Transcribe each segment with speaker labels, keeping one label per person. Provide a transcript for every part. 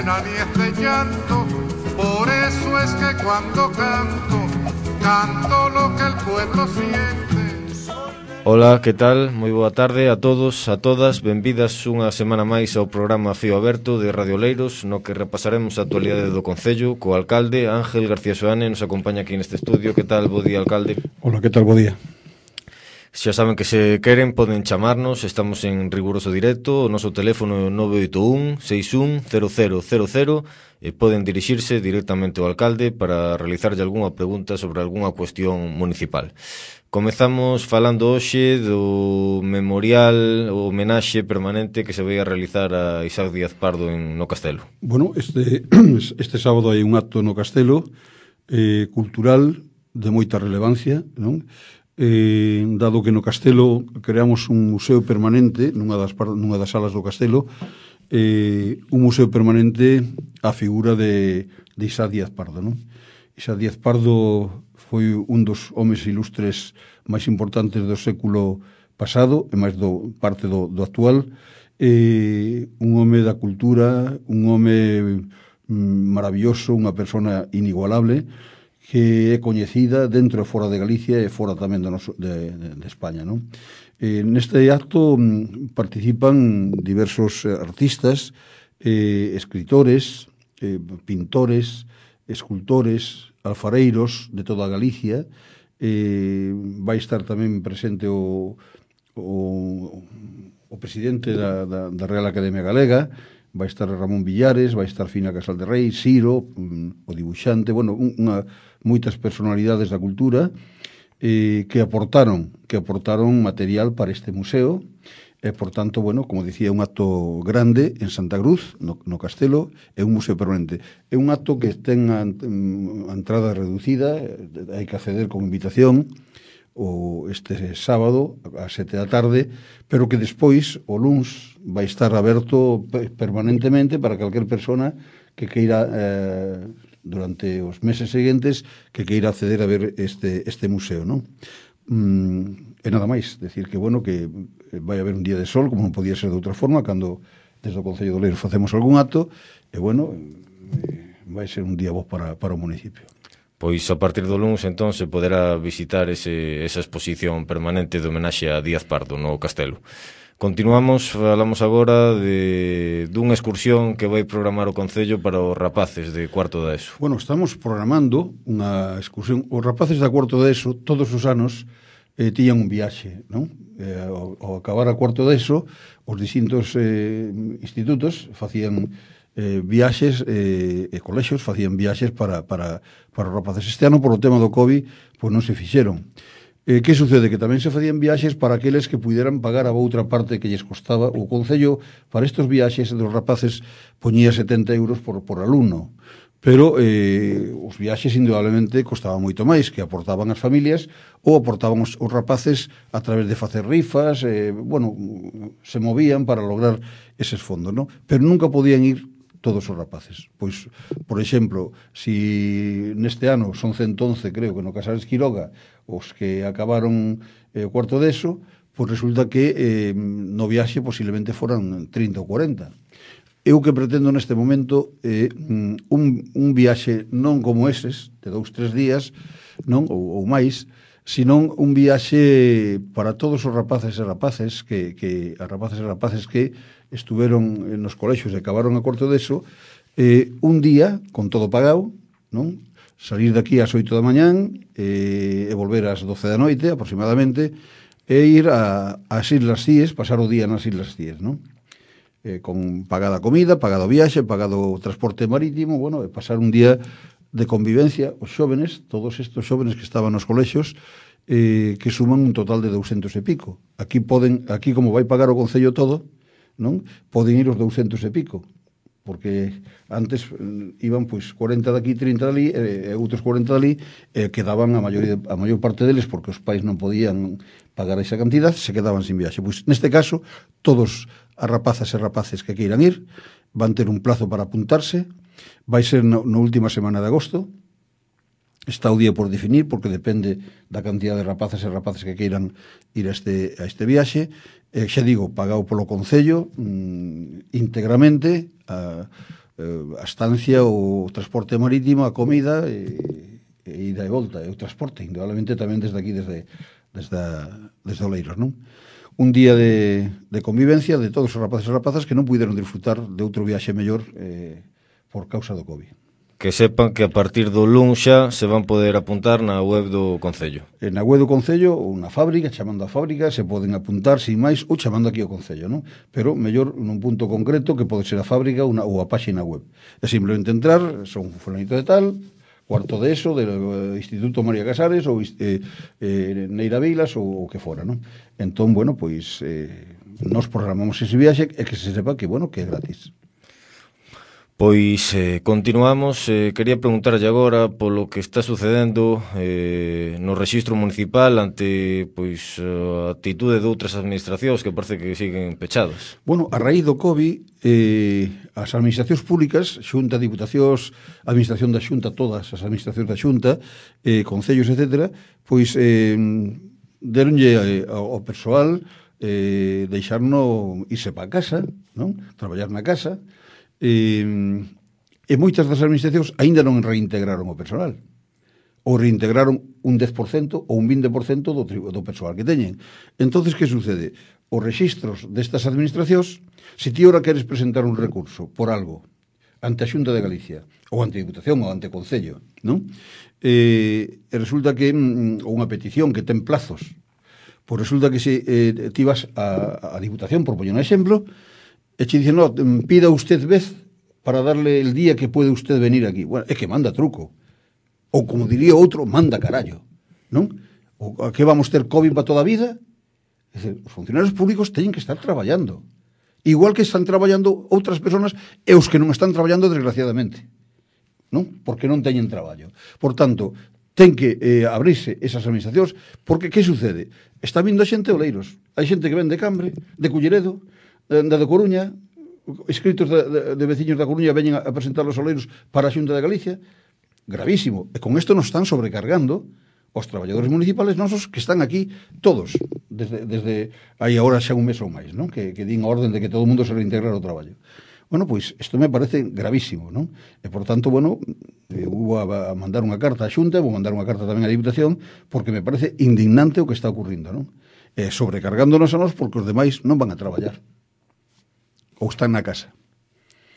Speaker 1: pena ni es de llanto, por eso es que cuando canto, canto lo que el pueblo siente.
Speaker 2: Ola, que tal? Moi boa tarde a todos, a todas. Benvidas unha semana máis ao programa Fío Aberto de Radio Oleiros, no que repasaremos a actualidade do Concello co alcalde Ángel García Soane. Nos acompaña aquí neste estudio. Que tal? Bo día, alcalde.
Speaker 3: Ola, que tal? Bo día.
Speaker 2: Xa saben que se queren poden chamarnos, estamos en riguroso directo, o noso teléfono é 981 61 0000 e poden dirixirse directamente ao alcalde para realizarlle algunha pregunta sobre algunha cuestión municipal. Comezamos falando hoxe do memorial ou homenaxe permanente que se vai a realizar a Isaac Díaz Pardo no Castelo.
Speaker 3: Bueno, este sábado hai un acto no Castelo cultural de moita relevancia, non? Dado que no Castelo creamos un museo permanente nunha das salas do Castelo, un museo permanente á figura de Isaac Díaz Pardo, non? Isaac Díaz Pardo foi un dos homes ilustres máis importantes do século pasado e máis parte do actual, un home da cultura, un home maravilloso, unha persona inigualable que é coñecida dentro e fora de Galicia e fora tamén de España, non? Neste acto participan diversos artistas, escritores, pintores, escultores, alfareiros de toda Galicia. Vai estar tamén presente o presidente da Real Academia Galega, vai estar Ramón Villares, vai estar Fina Casal de Rei, Siro, o dibuixante, bueno, moitas personalidades da cultura que aportaron material para este museo. E, por tanto, bueno, como dicía, un acto grande en Santa Cruz, no Castelo, é un museo permanente. É un acto que ten a entrada reducida, hai que acceder con invitación este sábado a 7 da tarde, pero que despois, o luns, vai estar aberto permanentemente para calquer persona que queira, durante os meses seguintes, que queira acceder a ver este museo, non? E nada máis, decir que, bueno, que vai haber un día de sol, como non podía ser de outra forma, cando desde o Concello de Oleiros facemos algún acto, e, bueno, vai ser un día vos para o municipio.
Speaker 2: Pois a partir do lunes, entón, se poderá visitar esa exposición permanente de homenaxe a Díaz Pardo no Castelo. Continuamos, falamos agora dunha excursión que vai programar o Concello para os rapaces de cuarto da ESO.
Speaker 3: Bueno, estamos programando unha excursión. Os rapaces da cuarto da ESO, todos os anos, tiñan un viaxe, non? Ao acabar a cuarto da ESO, os distintos institutos facían viaxes e colexios facían viaxes para os rapaces. Este ano, por o tema do COVID, pois non se fixeron. Que sucede? Que tamén se facían viaxes para aqueles que puderan pagar a outra parte que lles costaba. O Concello, para estes viaxes dos rapaces, poñía 70 euros por alumno. Pero os viaxes, indudablemente, costaban moito máis, que aportaban as familias ou aportaban os rapaces a través de facer rifas, bueno, se movían para lograr eses fondos, non? Pero nunca podían ir todos os rapaces. Pois, por exemplo, si neste ano son 111, creo que no Casares Quiroga, os que acabaron o cuarto deso, pois resulta que no viaxe posiblemente foran 30 ou 40. Eu que pretendo neste momento un viaxe non como eses, de 2-3 días, non, ou máis, senón un viaxe para todos os rapaces e rapaces que estuveron nos colexios e acabaron a cuarto deso, un día, con todo pagado, non? Salir daqui ás 8 da mañán e volver ás 12 da noite, aproximadamente, e ir ás Islas Cíes, pasar o día nas Islas Cíes, non? Con pagada comida, pagado viaxe, pagado transporte marítimo, bueno, e pasar un día de convivencia. Os xóvenes, todos estes xóvenes que estaban nos colexios, que suman un total de 200 e pico. Aquí como vai pagar o Concello todo, non? Poden ir os 200 e pico, porque antes iban pois 40 daqui, 30 dali, e outros 40 dali, quedaban a maior parte deles, porque os pais non podían pagar esa cantidad, se quedaban sin viaxe. Pois neste caso, todos as rapazas e rapaces que queiran ir van ter un plazo para apuntarse. Vai ser na última semana de agosto. Está o día por definir, porque depende da cantidad de rapaces e rapaces que queiran ir a este viaxe. Xa digo, pagado polo Concello íntegramente, a estancia, o transporte marítimo, a comida e ida e volta, e o transporte, indudablemente tamén desde aquí, desde Oleiros, non? Un día de convivencia de todos os rapaces e rapazas que non puderon disfrutar de outro viaxe mellor por causa do COVID.
Speaker 2: Que sepan que a partir do luns xa se van poder apuntar na web do Concello.
Speaker 3: Na web do Concello ou na fábrica, chamando a fábrica, se poden apuntar sin máis ou chamando aquí ao Concello, non? Pero mellor nun punto concreto que pode ser a fábrica ou a páxina web. É simplemente entrar, son fulanito de tal, cuarto de ESO, do Instituto María Casares ou Neira Vilas ou o que fora, non? Entón, bueno, pois nos programamos ese viaxe e que se sepa que, bueno, que é gratis.
Speaker 2: Pois continuamos. Quería preguntarlle agora polo que está sucedendo no rexistro municipal ante pois a actitude de outras administracións que parece que siguen pechadas.
Speaker 3: Bueno, a raíz do COVID, as administracións públicas, Xunta, Diputacións, Administración da Xunta, todas as administracións da Xunta, concellos, etc., pois deronlle ao persoal deixarno irse para casa, non? Traballar na casa. E moitas das administracións aínda non reintegraron o personal, ou reintegraron un 10% ou un 20% do persoal que teñen. Entonces, que sucede? Os rexistros destas administracións, se ti ora queres presentar un recurso por algo ante a Xunta de Galicia, ou ante a Diputación, ou ante o Concello, non? E resulta que unha petición que ten plazos, pois resulta que se ti vas a Diputación, por poñer un exemplo, e che dicen, no, pida usted vez para darle el día que puede usted venir aquí. Bueno, é que manda truco. Ou, como diría outro, manda carallo. Non? Ou a que vamos ter COVID para toda a vida? É dizer, os funcionarios públicos teñen que estar traballando. Igual que están traballando outras persoas e os que non están traballando, desgraciadamente. Non? Porque non teñen traballo. Por tanto, ten que abrirse esas administracións, porque que sucede? Está vindo a xente de Oleiros. Hai xente que ven de Cambre, de Culleredo, da Coruña, escritos de veciños da Coruña veñen a presentar os Oleiros para a Xunta de Galicia. Gravísimo. E con isto nos están sobrecargando os traballadores municipales nosos que están aquí todos, desde aí agora xa un mes ou máis, non? Que din a orden de que todo o mundo se reintegrar ao traballo. Bueno, pois, isto me parece gravísimo, non? E, por tanto, bueno, vou a mandar unha carta á Xunta, vou mandar unha carta tamén á Diputación, porque me parece indignante o que está ocurrindo, non? Sobrecargándonos a nós porque os demais non van a traballar. Ou están na casa.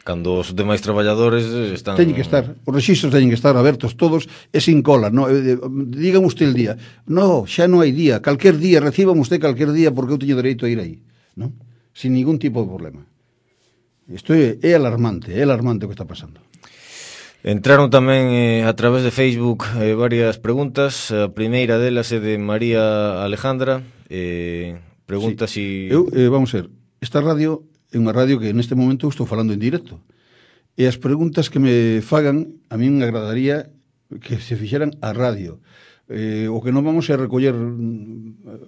Speaker 2: Cando os demais traballadores están...
Speaker 3: Teñen que estar, os rexistros teñen que estar abertos todos e sin cola, no? Digan usted el día. No, xa non hai día, calquer día, reciban usted calquer día porque eu teño dereito a ir aí, non? Sin ningún tipo de problema. Isto é alarmante o que está pasando.
Speaker 2: Entraron tamén a través de Facebook varias preguntas. A primeira delas é de María Alejandra. Pregunta si...
Speaker 3: Vamos a ver, esta radio é unha radio que neste momento estou falando en directo. E as preguntas que me fagan, a mí me agradaría que se fixeran a radio. O que non vamos é recoller,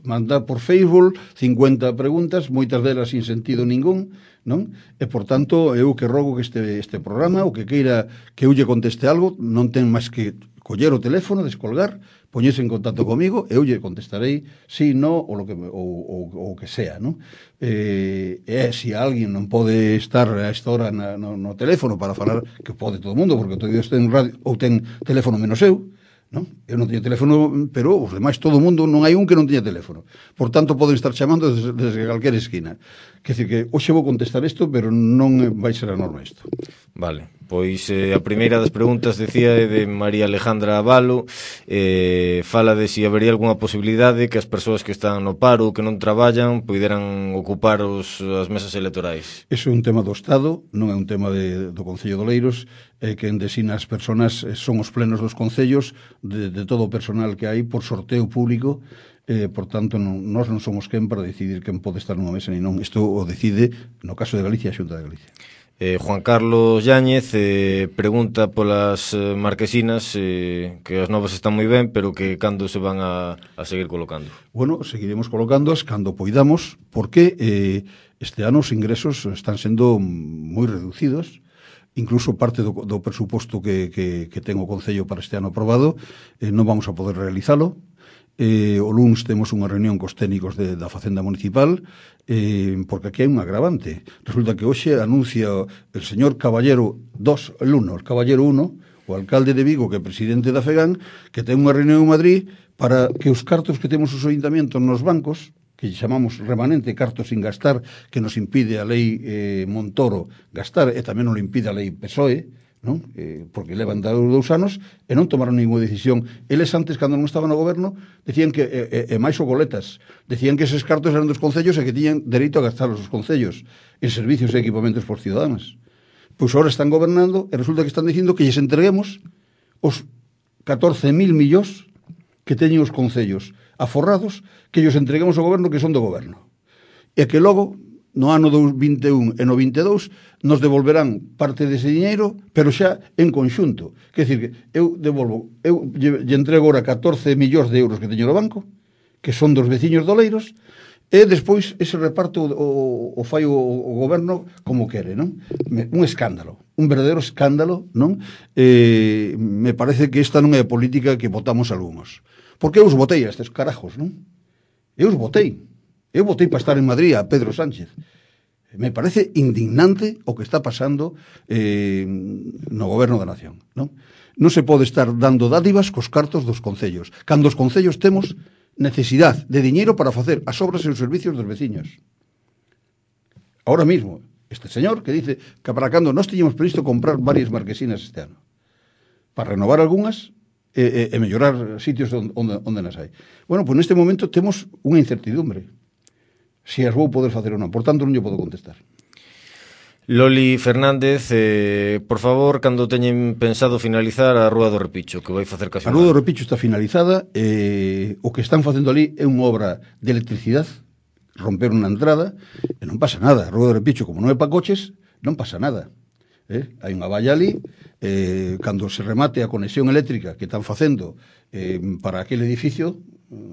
Speaker 3: mandar por Facebook 50 preguntas, moitas delas sin sentido ningún, non? E, por tanto, eu que rogo que este programa, o que queira que eu lle conteste algo, non ten máis que coller o teléfono, descolgar, poñerse en contacto comigo, eu lle contestarei sí, no, o que sea, non? Se alguén non pode estar a esta hora no teléfono para falar, que pode todo o mundo, porque todo Dios ten radio, ou ten teléfono menos eu, non? Eu non teño teléfono, pero os demais, todo o mundo, non hai un que non teña teléfono. Por tanto, poden estar chamando desde calquera esquina. Quer dizer que hoxe vou contestar isto, pero non vai ser a norma isto.
Speaker 2: Vale, pois a primeira das preguntas decía é de María Alejandra Avalo, fala de si habería algunha posibilidade que as persoas que están no paro, que non traballan, poideran ocupar as mesas electorais.
Speaker 3: Eso é un tema do Estado, non é un tema do Concello de Oleiros, que desina as persoas son os plenos dos concellos de todo o personal que hai por sorteo público. Por tanto, nós non somos quen para decidir quen pode estar nunha mesa ni non. Isto o decide, no caso de Galicia, a Xunta de Galicia.
Speaker 2: Juan Carlos Yáñez pregunta polas marquesinas que as novas están moi ben, pero que cando se van a seguir colocando.
Speaker 3: Bueno, seguiremos colocándoas cando poidamos, porque este ano os ingresos están sendo moi reducidos. Incluso parte do presuposto que ten o Concello para este ano aprobado non vamos a poder realizalo. O luns temos unha reunión cos técnicos da Facenda Municipal, porque aquí hai un agravante. Resulta que hoxe anuncia el señor Caballero 2, el Caballero 1, o alcalde de Vigo, que é presidente da FEGAN, que ten unha reunión en Madrid para que os cartos que temos os ayuntamientos nos bancos, que chamamos remanente, cartos sin gastar, que nos impide a lei Montoro gastar, e tamén nos impide a lei PSOE, non? Porque levan 2 anos e non tomaron ninguna decisión. Eles antes, cando non estaban no goberno, decían que, máis o goletas, decían que eses cartos eran dos concellos e que tiñan dereito a gastarlos os concellos en servicios e equipamentos por ciudadanos. Pois agora están gobernando e resulta que están dicindo que lles entreguemos os 14.000 millóns que teñen os concellos aforrados, que ellos entreguemos ao goberno que son do goberno. E que logo, no ano 21 e no 22, nos devolverán parte dese diñeiro, pero xa en conxunto. Quer dicir, que eu lle entrego agora 14 millóns de euros que teño no banco, que son dos veciños doleiros, e despois ese reparto o fai o goberno como quere, non? Un escándalo, un verdadeiro escándalo, non? Me parece que esta non é a política que votamos algúns. Porque eu os votei a estes carajos, non? Eu os votei. Eu votei para estar en Madrid a Pedro Sánchez. Me parece indignante o que está pasando no goberno da nación, non? Non se pode estar dando dádivas cos cartos dos concellos, cando os concellos temos necesidade de diñeiro para facer as obras e os servicios dos veciños. Ahora mismo, este señor que dice que para cando nós tiñamos previsto comprar varias marquesinas este ano, para renovar algunhas e mellorar sitios onde nas hai. Bueno, pois neste momento temos unha incertidumbre se as vou poder facer ou non, por tanto non lle podo contestar.
Speaker 2: Loli Fernández, por favor, cando teñen pensado finalizar a Rúa do Repicho, que vai facer casi
Speaker 3: a Rúa do Repicho está finalizada, o que están facendo ali é unha obra de electricidade, romper unha entrada, e non pasa nada. A Rúa do Repicho, como non é para coches, non pasa nada. Hai unha valla ali, cando se remate a conexión eléctrica que están facendo para aquele edificio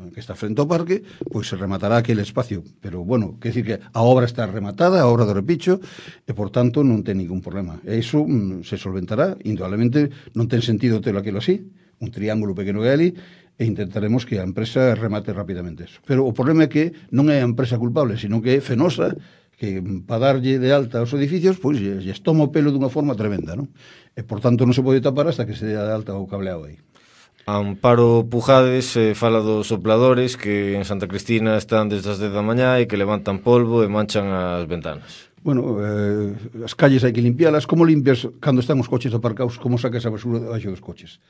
Speaker 3: que está frente ao parque, pois se rematará aquele espacio. Pero, bueno, quer dicir que a obra está rematada, a obra do Repicho, e, por tanto, non ten ningún problema. E iso se solventará, indudablemente non ten sentido telo aquilo así, un triángulo pequeno que hai ali, e intentaremos que a empresa remate rapidamente eso. Pero o problema é que non é a empresa culpable, sino que é Fenosa, que para darlle de alta aos edificios, pois lles toma o pelo dunha forma tremenda, non? E, por tanto, non se pode tapar hasta que se dé de alta o cableado aí.
Speaker 2: Amparo Pujades fala dos sopladores que en Santa Cristina están desde as 10 da mañá e que levantan polvo e manchan as ventanas.
Speaker 3: Bueno, as calles hai que limpialas. Como limpias cando están os coches aparcados? Como sacas a basura debaixo dos coches?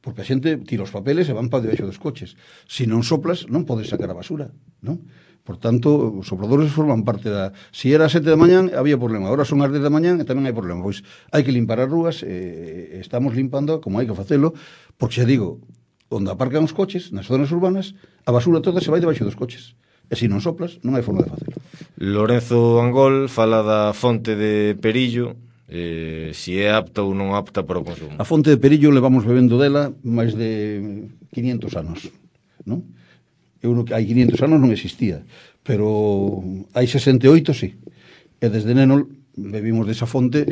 Speaker 3: Porque a xente tira os papeles e van para debaixo dos coches. Se non soplas, non podes sacar a basura, non? Por tanto, os sopladores forman parte da... Si era as 7 da mañán, había problema. Agora son as 10 da mañán e tamén hai problema. Pois hai que limpar as rúas, estamos limpando como hai que facelo, porque xa digo, onde aparcan os coches, nas zonas urbanas, a basura toda se vai debaixo dos coches. E se non soplas, non hai forma de facelo.
Speaker 2: Lorenzo Angol fala da fonte de Perillo, si é apta ou non apta para o consumo.
Speaker 3: A fonte de Perillo levamos bebendo dela máis de 500 anos, non? Hai 500 anos non existía, pero hai 68 sí. E desde neno bebimos desa fonte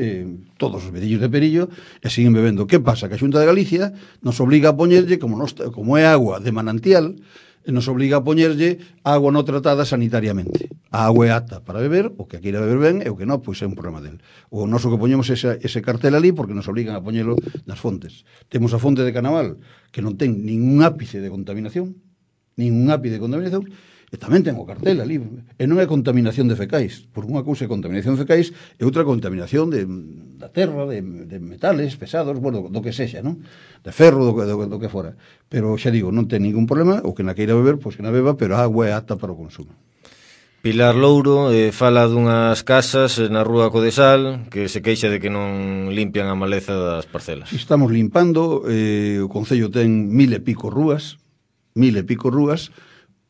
Speaker 3: todos os veciños de Perillo e siguen bebendo. Que pasa? Que a Xunta de Galicia nos obliga a poñerlle, como é agua de manantial, nos obliga a poñerlle agua non tratada sanitariamente. A agua é apta para beber, o que queira beber ben, e o que non, pois é un problema del. O noso que poñemos ese cartel ali porque nos obligan a poñelo nas fontes. Temos a fonte de Canaval, que non ten ningún ápice de contaminación, e tamén ten o cartel ali, e non é contaminación de fecais, por unha cousa é contaminación de fecais e outra contaminación da terra, de metales pesados, bueno, do que sexa, non? De ferro, do que fora. Pero xa digo, non ten ningún problema, o que na queira beber, pois que na beba, pero a agua é apta para o consumo.
Speaker 2: Pilar Louro fala dunhas casas na Rúa Codesal que se queixa de que non limpian a maleza das parcelas.
Speaker 3: Si estamos limpando, o Concello ten 1000 e pico rúas,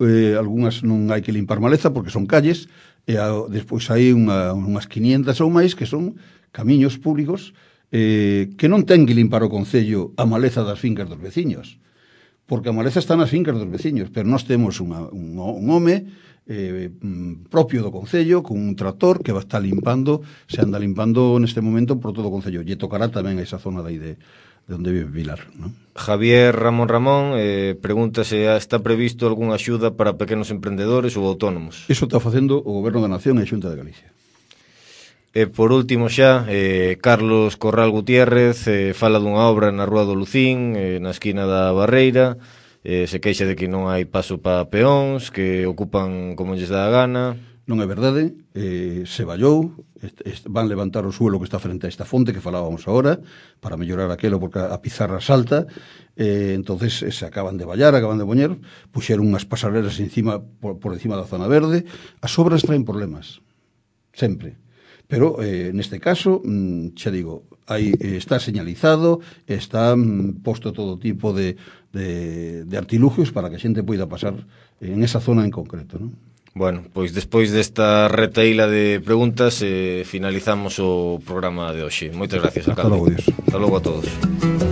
Speaker 3: algunhas non hai que limpar maleza porque son calles, e despois hai unhas 500 ou máis que son camiños públicos que non ten que limpar o Concello a maleza das fincas dos veciños, porque a maleza está nas fincas dos veciños, pero nós temos un home propio do Concello con un tractor que va estar limpando, se anda limpando neste momento por todo o Concello, lle tocará tamén a esa zona de aí onde vive Pilar, non?
Speaker 2: Javier Ramón pregunta se está previsto algunha axuda para pequenos emprendedores ou autónomos.
Speaker 3: Iso está facendo o Goberno da Nación e a Xunta de Galicia.
Speaker 2: E por último xa, Carlos Corral Gutiérrez fala dunha obra na Rúa do Lucín, na esquina da Barreira, se queixa de que non hai paso para peóns, que ocupan como lles dá a gana.
Speaker 3: Non é verdade, se vallou, van levantar o suelo que está frente a esta fonte que falábamos agora, para mellorar aquelo porque a pizarra salta, entonces se acaban de vallar, acaban de poñer, puxeron unhas pasarelas encima, por encima da zona verde. As obras traen problemas, sempre. Pero neste caso, xa digo, está señalizado, está posto todo tipo de artilugios para que a xente poida pasar en esa zona en concreto, non?
Speaker 2: Bueno, pois despois desta retaíla de preguntas finalizamos o programa de hoxe. Moitas gracias, alcalde.
Speaker 3: Hasta logo, Dios.
Speaker 2: Hasta logo a todos.